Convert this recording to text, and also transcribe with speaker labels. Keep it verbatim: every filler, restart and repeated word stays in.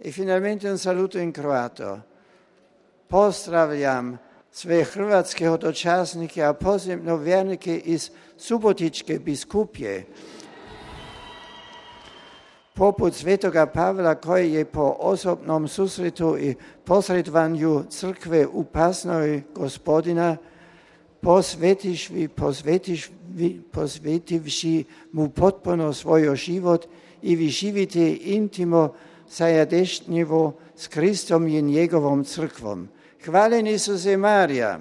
Speaker 1: I finalmente un saluto in croato. Pozdravljam sve hrvatske hodočasnike, a posebno vjernike iz Subotičke biskupije, poput svetoga Pavla koji je po osobnom susretu i posredovanju crkve u Pasnoj Gospodina posvetivši, posvetivši, posvetivši mu potpuno svoj život i vi živite intimo zajedništvo s Kristom i njegovom crkvom. Hvaljen Isuse Marija.